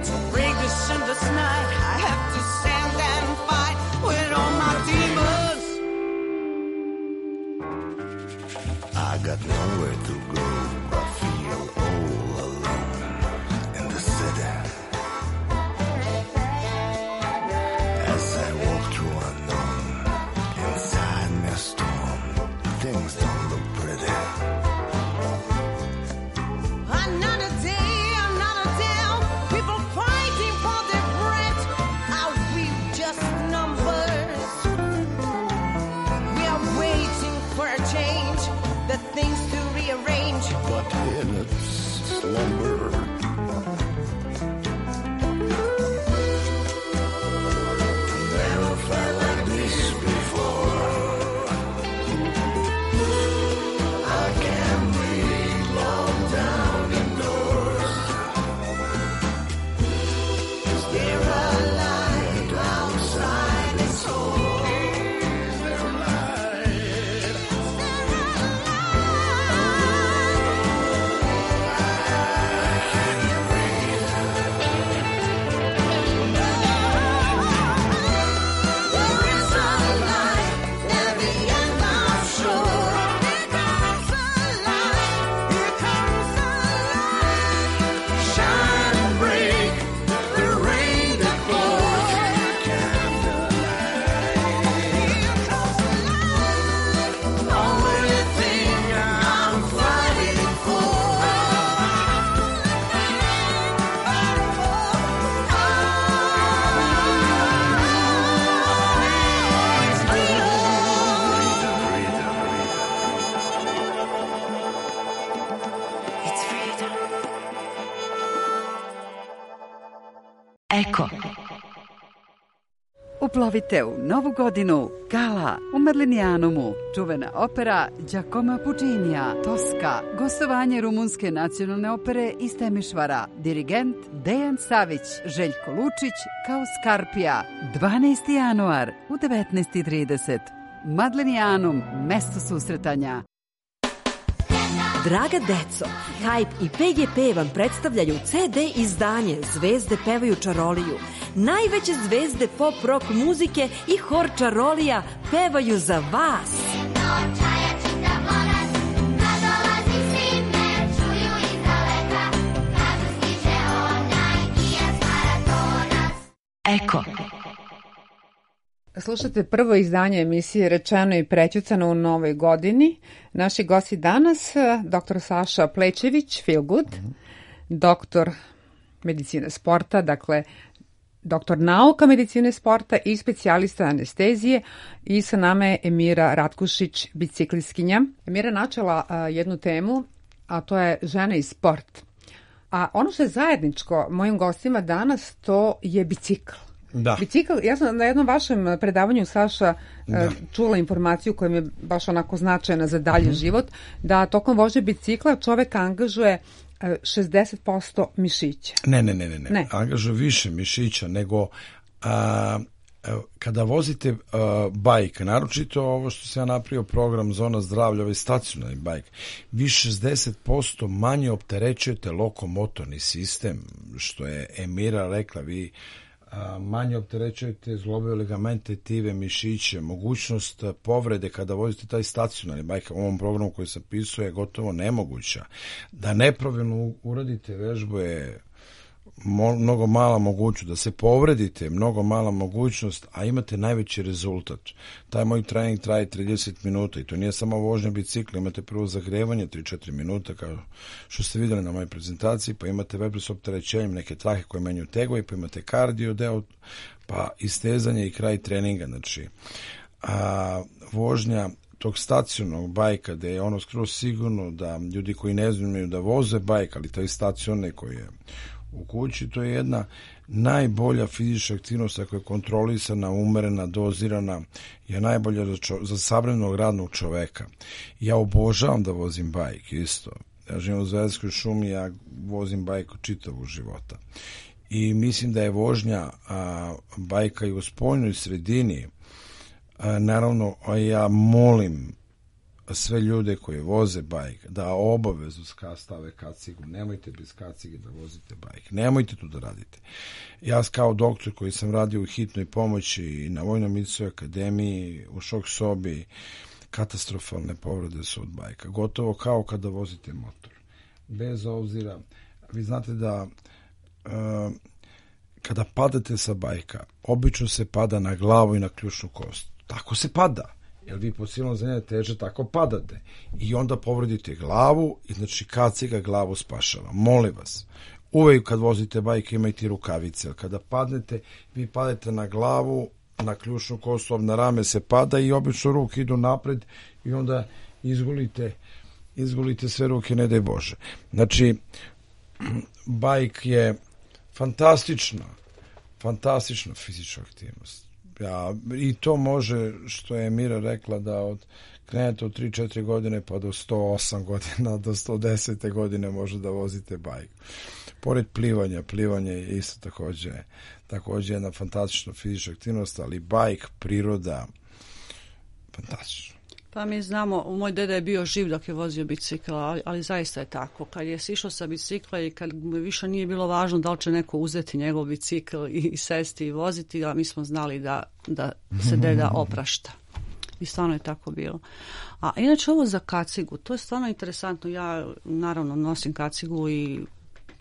To break this endless night, I have to stand and fight with all my demons. I got nowhere to go. I feel all alone in the city. As I walk through unknown, inside me a storm, things don't look pretty. Another day, another down, people fighting for their breath. Are we just numbers? We are waiting for a change, the things to rearrange. But in its slumber, Never felt like this before. I can't breathe long down indoors. Is there a light outside this hole? Is there a light? I can't breathe. There is a light at the end of shore. Here comes a light. Here comes a light. Shine and break the rain that pours. Here comes a light. Only thing I'm fighting for. It's freedom. Eko. Uplovite u novu godinu Gala u Merlinijanumu, čuvena opera Giacomo Puccinija, Toska, gostovanje Rumunske nacionalne opere iz Temišvara, dirigent Dejan Savić, Željko Lučić kao Skarpija, dvanaesti januar u devetnaest i trideset. Madlenijanum, mesto susretanja. Draga deco, Hype i P G P vam predstavljaju C D izdanje Zvezde pevaju čaroliju. Najveće zvezde pop rock muzike i hor čarolija pevaju za vas. Eko. Slušate prvo izdanje emisije Rečeno i prećutano u novoj godini. Naši gosti danas, doktor Saša Plečević, Feel Good, doktor medicine sporta, dakle doktor nauka medicine sporta i specijalista anestezije, i sa nama je Emira Ratkušić, biciklistkinja. Emira načela a, jednu temu, a to je žena i sport. A ono što je zajedničko mojim gostima danas, to je bicikl. Da. Bicikl, ja sam na jednom vašem predavanju, Saša, da. čula informaciju koja mi je baš onako značajna za dalji mm-hmm. život, da tokom vožnje bicikla čovek angažuje šezdeset posto mišića. Ne, ne, ne, ne, ne. Ne. Angažuje više mišića nego a, kada vozite a, bajk, naročito ovo što se ja napravio program Zona zdravlja, ovaj stacionarni bajk, vi šezdeset posto manje opterećujete lokomotorni sistem, što je Emira rekla, vi a, manje opterećujete zglobove ligamente, tive, mišiće, mogućnost povrede kada vozite taj stacionarni bajk, u ovom programu koji sam pisao je gotovo nemoguća. Da nepravilno uradite vežbu je mnogo mala mogućnost, da se povredite, mnogo mala mogućnost, a imate najveći rezultat. Taj moj trening traje trideset minuta i to nije samo vožnja bicikla, imate prvo zagrevanje tri do četiri minuta, kao što ste vidjeli na mojoj prezentaciji, pa imate vežbe s opterećenjem, neke trahe koje menjaju tegove, pa imate kardio deo, pa istezanje i kraj treninga. Znači, a, vožnja tog stacionarnog bajka, gde je ono skroz sigurno da ljudi koji ne znaju da voze bajk, ali taj stacionarni koji je u kući, to je jedna najbolja fizička aktivnost koja je kontrolisana, umerena, dozirana, je najbolja za, čo, za savremenog radnog čoveka. Ja obožavam da vozim bajk, isto. Ja živim u Zvezdskoj šumi, ja vozim bajk od čitavog života. I mislim da je vožnja a, bajka i u spoljnoj sredini, a, naravno, a ja molim sve ljude koji voze bajk da obavezno stave kacigu. Nemojte bez kacige da vozite bajk. Nemojte to da radite. Ja kao doktor koji sam radio u hitnoj pomoći i na Vojnoj medicinskoj akademiji, u šok sobi, katastrofalne povrede su od bajka. Gotovo kao kada vozite motor. Bez obzira, vi znate da uh, kada padate sa bajka, obično se pada na glavu i na ključnu kost. Tako se pada. Jer vi po silnom zemlje teže tako padate. I onda povredite glavu i znači kaciga glavu spašava. Molim vas, uvek kad vozite bajk imajte rukavice. Kada padnete, vi padete na glavu, na ključnu kostu, na rame se pada i obično ruke idu napred i onda izgulite, izgulite sve ruke, ne daj Bože. Znači, bajk je fantastična, fantastična fizička aktivnost. Ja, i to može, što je Mira rekla, da od krenete od tri do četiri godine pa do sto osam godina, do sto deset godine može da vozite bajk. Pored plivanja, plivanje je isto takođe, takođe jedna fantastična fizička aktivnost, ali bajk, priroda, fantastično. Pa mi znamo, moj deda je bio živ dok je vozio bicikl, ali, ali zaista je tako. Kad je sišao sa bicikla i kad više nije bilo važno da li će neko uzeti njegov bicikl i, i sesti i voziti, a mi smo znali da, da se deda oprašta. I stvarno je tako bilo. A inače ovo za kacigu, to je stvarno interesantno. Ja naravno nosim kacigu i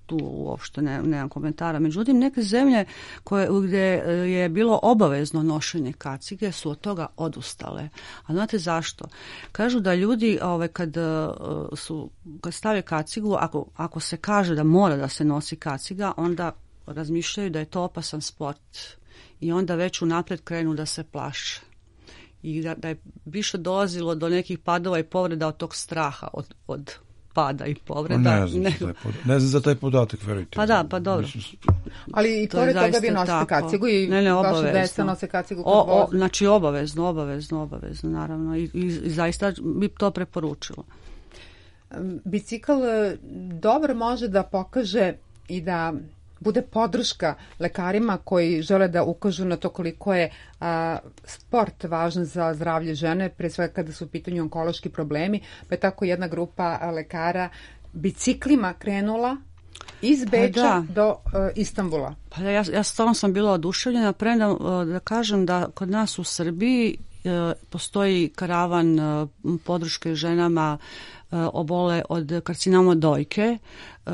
tu uopšte ne, nemam komentara. Međutim, neke zemlje koje, gdje je bilo obavezno nošenje kacige su od toga odustale. A znate zašto? Kažu da ljudi ove, kad, su, kad stave kacigu, ako, ako se kaže da mora da se nosi kaciga, onda razmišljaju da je to opasan sport. I onda već unaprijed krenu da se plaše. I da, da je više dolazilo do nekih padova i povreda od tog straha, od, od pada i povreda. Ne znam, ne, za, taj podatak, ne znam za taj podatak, verujte. Pa da, pa dobro. Ali i pored toga vi nosite kacigu i ne, ne, vaša deca nose kacigu kad o, o, voze. Znači obavezno, obavezno, obavezno, naravno. I, i, i zaista bi to preporučilo. Bicikl dobro može da pokaže i da bude podrška lekarima koji žele da ukažu na to koliko je a, sport važan za zdravlje žene, pre svega kada su u pitanju onkološki problemi, pa je tako jedna grupa a, lekara biciklima krenula iz Beča pa da. do uh, Istanbula. Pa ja, ja stvarno sam bila oduševljena, premda da kažem da kod nas u Srbiji uh, postoji karavan uh, podrške ženama uh, obole od karcinoma dojke. Uh,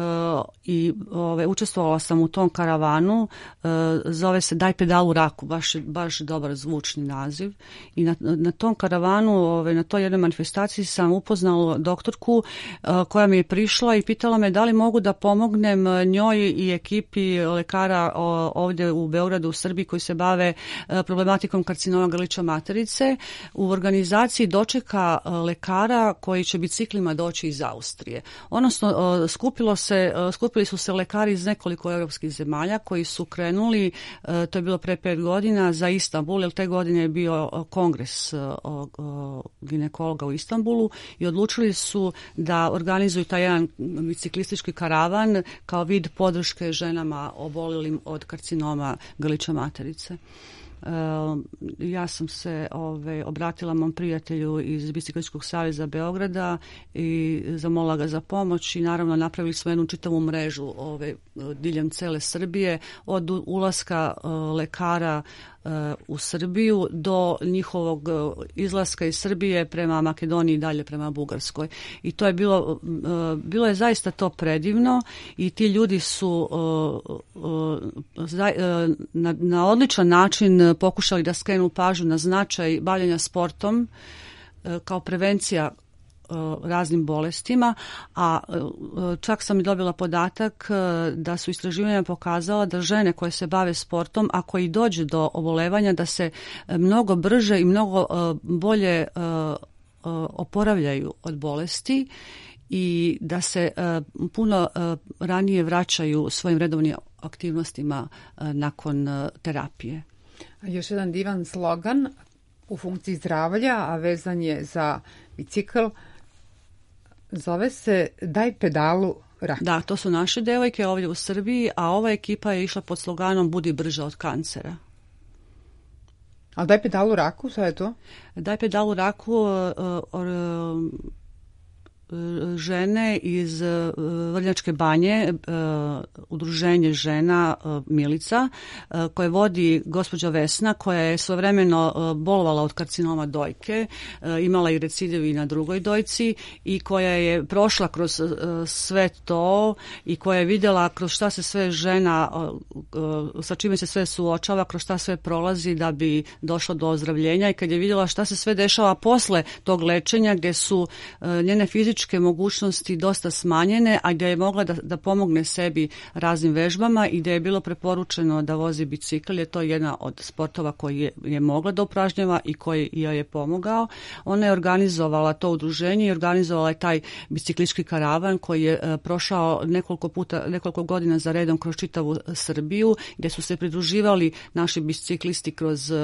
i ove, učestvovala sam u tom karavanu, uh, zove se Daj pedalu raku, baš, baš dobar zvučni naziv i na, na tom karavanu, ove, na toj jednoj manifestaciji sam upoznala doktorku uh, koja mi je prišla i pitala me da li mogu da pomognem njoj i ekipi lekara o, ovdje u Beogradu, u Srbiji koji se bave uh, problematikom karcinoma grlića materice u organizaciji dočeka uh, lekara koji će biciklima doći iz Austrije. Odnosno, uh, skupilo se, skupili su se lekari iz nekoliko europskih zemalja koji su krenuli, to je bilo pre pet godina, za Istanbul, jer te godine je bio kongres ginekologa u Istanbulu i odlučili su da organizuju taj jedan biciklistički karavan kao vid podrške ženama obolelim od karcinoma grlića materice. Ja sam se ove, obratila mom prijatelju iz Biciklističkog saveza Beograda i zamolila ga za pomoć i naravno napravili smo jednu čitavu mrežu ove, diljem cele Srbije, od ulaska lekara u Srbiju do njihovog izlaska iz Srbije prema Makedoniji i dalje prema Bugarskoj. I to je bilo, bilo je zaista to predivno i ti ljudi su na, na odličan način pokušali da skrenu pažnju na značaj bavljenja sportom kao prevencija raznim bolestima, a čak sam i dobila podatak da su istraživanja pokazala da žene koje se bave sportom, ako i dođe do obolevanja, da se mnogo brže i mnogo bolje oporavljaju od bolesti i da se puno ranije vraćaju svojim redovnim aktivnostima nakon terapije. Još jedan divan slogan u funkciji zdravlja, a vezan je za bicikl, zove se Daj pedalu raku. Da, to su naše devojke ovdje u Srbiji, a ova ekipa je išla pod sloganom Budi brža od kancera. A Daj pedalu raku, šta je to? Daj pedalu raku uh, uh, žene iz Vrnjačke Banje, udruženje žena Milica, koje vodi gospođa Vesna, koja je svojevremeno bolovala od karcinoma dojke, imala i recidiv i na drugoj dojci i koja je prošla kroz sve to i koja je vidjela kroz šta se sve žena, sa čime se sve suočava, kroz šta sve prolazi da bi došla do ozdravljenja, i kad je vidjela šta se sve dešava posle tog lečenja, gdje su njene fizičke mogućnosti dosta smanjene, a gdje je mogla da, da pomogne sebi raznim vežbama i gdje je bilo preporučeno da vozi bicikl, je to jedna od sportova koji je, je mogla da upražnjava i koji joj je pomogao. Ona je organizovala to udruženje i organizovala je taj biciklistički karavan koji je uh, prošao nekoliko puta, nekoliko godina za redom kroz čitavu Srbiju, gdje su se pridruživali naši biciklisti kroz uh,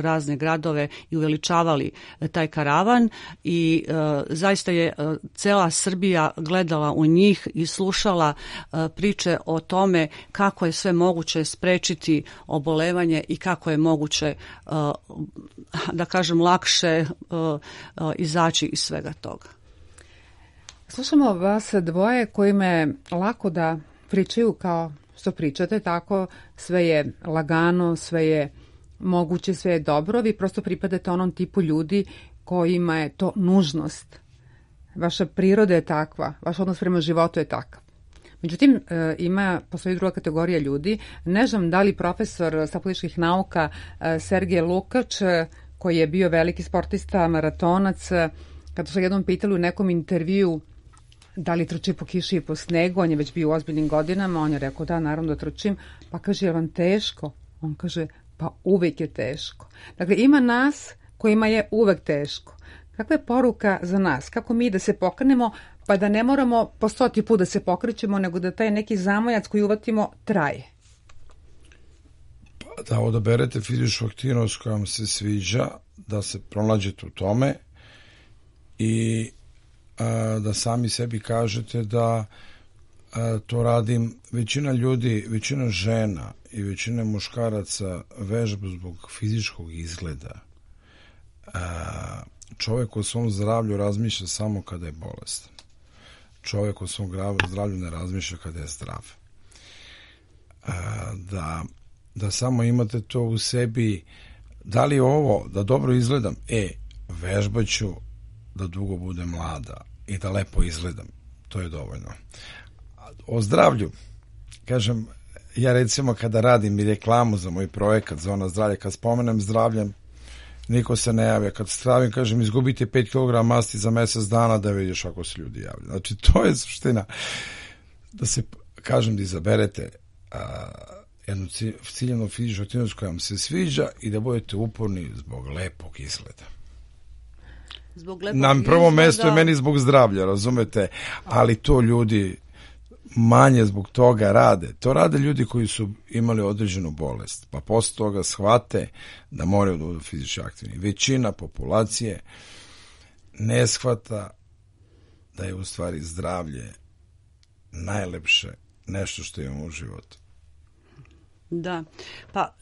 razne gradove i uveličavali uh, taj karavan i uh, zaista je uh, cela Srbija gledala u njih i slušala uh, priče o tome kako je sve moguće sprečiti obolevanje i kako je moguće, uh, da kažem, lakše uh, uh, izaći iz svega toga. Slušamo vas dvoje kojima je lako da pričaju kao što pričate, tako sve je lagano, sve je moguće, sve je dobro. Vi prosto pripadate onom tipu ljudi kojima je to nužnost. Vaša priroda je takva, vaš odnos prema životu je takav. Međutim, ima, postoji druga kategorija ljudi. Ne znam da li profesor sa političkih nauka Sergej Lukač, koji je bio veliki sportista, maratonac, kada su jednom pitali u nekom intervju da li trči po kiši i po snegu, on je već bio u ozbiljnim godinama, on je rekao da, naravno da trčim, pa kaže, je vam teško? On kaže, pa uvek je teško. Dakle, ima nas kojima je uvek teško. Kakva je poruka za nas? Kako mi da se pokrenemo, pa da ne moramo po stoti put da se pokrećemo, nego da taj neki zamojac koji uvatimo traje? Pa da odaberete fizičku aktivnost koja vam se sviđa, da se pronađete u tome i a, da sami sebi kažete da a, to radim. Većina ljudi, većina žena i većina muškaraca vežba zbog fizičkog izgleda. A, čovjek o svom zdravlju razmišlja samo kada je bolestan. Čovjek o svom zdravlju ne razmišlja kada je zdrav. A, da, da samo imate to u sebi, da li ovo, da dobro izgledam, e, vežbaću da dugo bude mlada i da lepo izgledam, to je dovoljno. O zdravlju, kažem, ja recimo kada radim i reklamu za moj projekat Zona zdravlja, kad spomenem zdravlje, niko se ne javlja. Kad stravim, kažem, izgubite pet kilograma masti za mjesec dana, da vidiš ako se ljudi javljaju. Znači, to je suština. Da se, kažem, da izaberete a, jednu ciljenu fizičku aktivnost koja vam se sviđa i da budete uporni zbog lepog izgleda. Zbog lepog Na prvo izgleda... mjesto je meni zbog zdravlja, razumete? Ali to ljudi manje zbog toga rade. To rade ljudi koji su imali određenu bolest, pa posle toga shvate da moraju da budu fizički aktivni. Većina populacije ne shvata da je u stvari zdravlje najlepše nešto što imamo u životu. Da, pa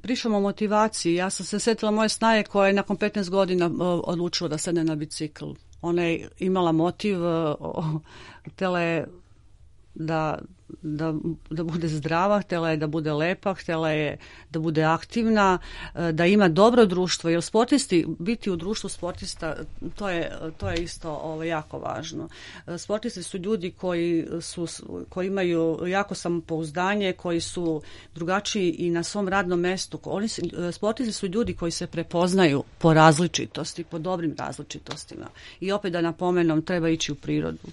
pričamo o motivaciji. Ja sam se sjetila moje snaje koja je nakon petnaest godina odlučila da sedne na bicikl. Ona je imala motiv, htjela je da, da, da bude zdrava, htjela je da bude lepa, htjela je da bude aktivna, da ima dobro društvo, jer sportisti, biti u društvu sportista, to je, to je isto ovo, jako važno. Sportisti su ljudi koji, su, koji imaju jako samopouzdanje, koji su drugačiji i na svom radnom mestu. Oni, sportisti su ljudi koji se prepoznaju po različitosti, po dobrim različitostima. I opet da napomenem, treba ići u prirodu.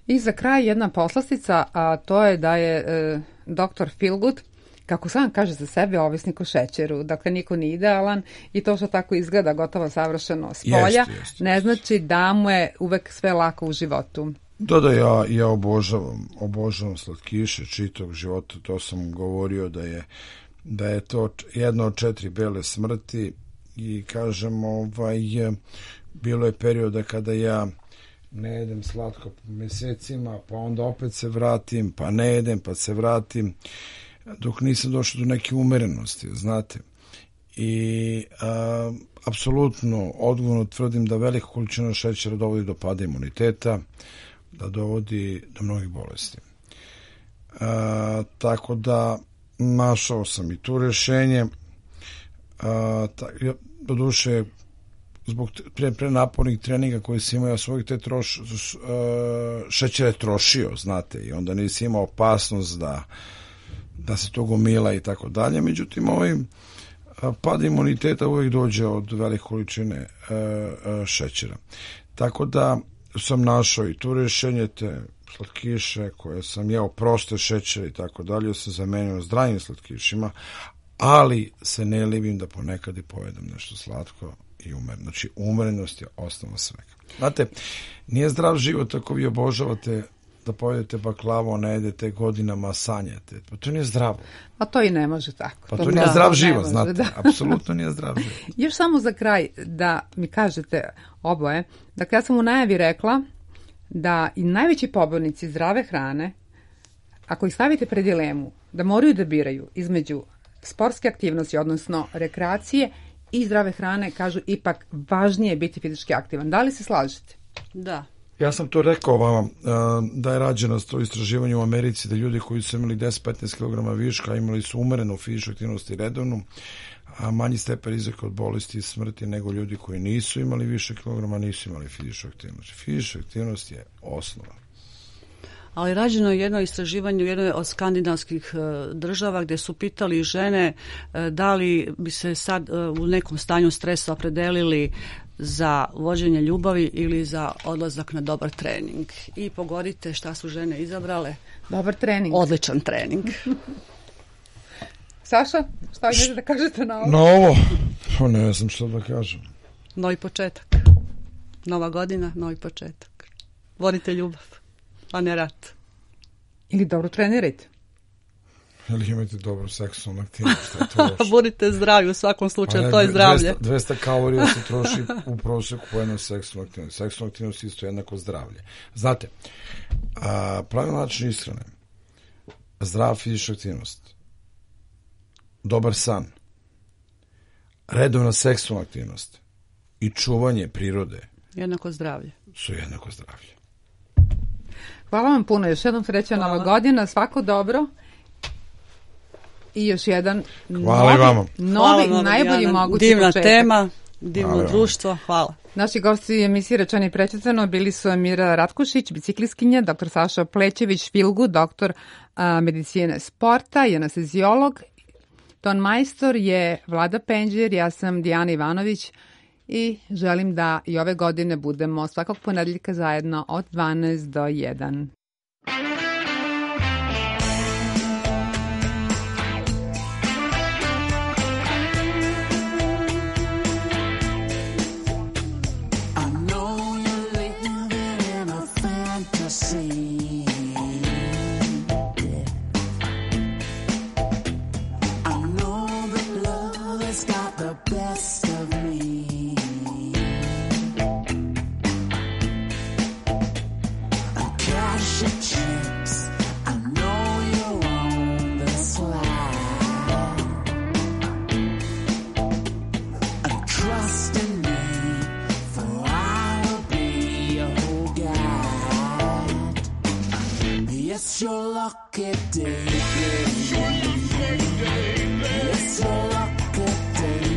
I za kraj jedna poslastica, a to je da je e, doktor Feelgood, kako sam kaže za sebe, ovisnik o šećeru. Dakle, niko nije idealan i to što tako izgleda gotovo savršeno s polja, Jeste, jeste. ne znači da mu je uvek sve lako u životu. Da, da, ja, ja obožavam, obožavam slatkiše čitog života, to sam govorio da je, da je to jedno od četiri bele smrti i kažem, ovaj, bilo je perioda kada ja ne jedem slatko mjesecima, pa onda opet se vratim, pa ne jedem, pa se vratim, dok nisam došao do neke umerenosti, znate. I a, apsolutno odgovorno tvrdim da velika količina šećera dovodi do pada imuniteta, da dovodi do mnogih bolesti. A, tako da našao sam i tu rješenje. A, ta, ja, do duše, zbog pre, pre napornih treninga koji sam imao, ja svojih te troš, uh, šećere trošio, znate, i onda nisi imao opasnost da, da se to gomila i tako dalje. Međutim, ovaj pad imuniteta uvijek dođe od velike količine uh, uh, šećera. Tako da sam našao i tu rješenje, te slatkiše koje sam jeo, proste šećere i tako dalje, sam zamenio zdravim slatkišima, ali se ne libim da ponekad i pojedem nešto slatko i umeren. Znači, umerenost je osnova svega. Znate, nije zdrav život ako vi obožavate da pojedete baklavu, ne jedete godinama, sanjate. Pa to nije zdravo. Pa to i ne može tako. Pa to, to nije da, zdrav ne život, može, znate. da. Apsolutno nije zdrav život. Još samo za kraj da mi kažete oboje. Dakle, ja sam u najavi rekla da i najveći pobornici zdrave hrane, ako ih stavite pred dilemu, da moraju da biraju između sportske aktivnosti, odnosno rekreacije i zdrave hrane, kažu ipak važnije biti fizički aktivan. Da li se slažete? Da. Ja sam to rekao vama, da je rađeno to istraživanje u Americi, da ljudi koji su imali deset do petnaest kilograma viška, imali su umerenu fizičku aktivnost i redovnu, a manji stepen rizika od bolesti i smrti nego ljudi koji nisu imali više kilograma, nisu imali fizičku aktivnost. Fizička aktivnost je osnova. Ali rađeno je jedno istraživanje u jednoj od skandinavskih država gdje su pitali žene da li bi se sad u nekom stanju stresa opredelili za vođenje ljubavi ili za odlazak na dobar trening. I pogodite šta su žene izabrale. Dobar trening. Odličan trening. Saša, šta vi možete da kažete na ovo? Na ovo? Pa ne znam što da kažem. Novi početak. Nova godina, novi početak. Vodite ljubav, a ne rat. Ili dobro trenirajte. Ili imajte dobro seksualnu aktivnost. Šta je to loše? Budite zdravi u svakom slučaju, ne, to je zdravlje. dvesta kalorija se troši u prosjeku po jednoj seksualnoj aktivnosti. Seksualna aktivnost isto jednako zdravlje. Znate, a, pravi način ishrane, zdrava fizička aktivnost, dobar san, redovna seksualna aktivnost i čuvanje prirode jednako zdravlje. Su jednako zdravlje. Hvala vam puno. Još jednom sreća Nova godina. Svako dobro. I još jedan Hvala novi, i vama. novi Hvala, najbolji Dijana. mogući Divna početak. tema, divno Hvala. društvo. Hvala. Naši gosti emisije Rečeno i prečitano bili su Mira Ratkušić, biciklistkinja, doktor Saša Plećević, Feelgood, doktor a, medicine sporta i anesteziolog. Ton majstor je Vlada Penđer, ja sam Dijana Ivanović i želim da i ove godine budemo svakog ponedeljka zajedno od dvanaest do jedan. I know you're living in a fantasy. Yes, you're lucky, day, baby. Yes, you're lucky, day.